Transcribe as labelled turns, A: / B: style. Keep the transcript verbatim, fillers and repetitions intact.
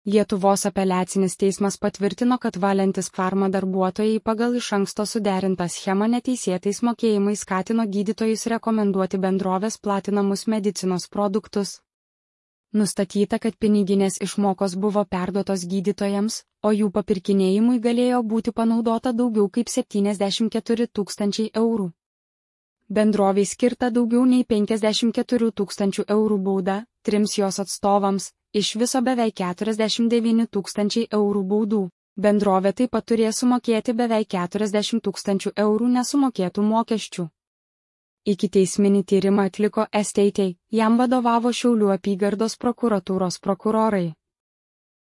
A: Lietuvos apeliacinis teismas patvirtino, kad Valentis Pharma darbuotojai pagal iš anksto suderintą schemą neteisėtais mokėjimais skatino gydytojus rekomenduoti bendrovės platinamus medicinos produktus. Nustatyta, kad piniginės išmokos buvo perduotos gydytojams, o jų papirkinėjimui galėjo būti panaudota daugiau kaip septyniasdešimt keturi tūkstančiai eurų. Bendroviai skirta daugiau nei penkiasdešimt keturių tūkstančių eurų bauda, trims jos atstovams, iš viso beveik keturiasdešimt devyni tūkstančiai eurų baudų. Bendrovė taip pat turės sumokėti beveik keturiasdešimt tūkstančių eurų nesumokėtų mokesčių. Ikiteisminį tyrimą atliko S T T, jam vadovavo Šiaulių apygardos prokuratūros prokurorai.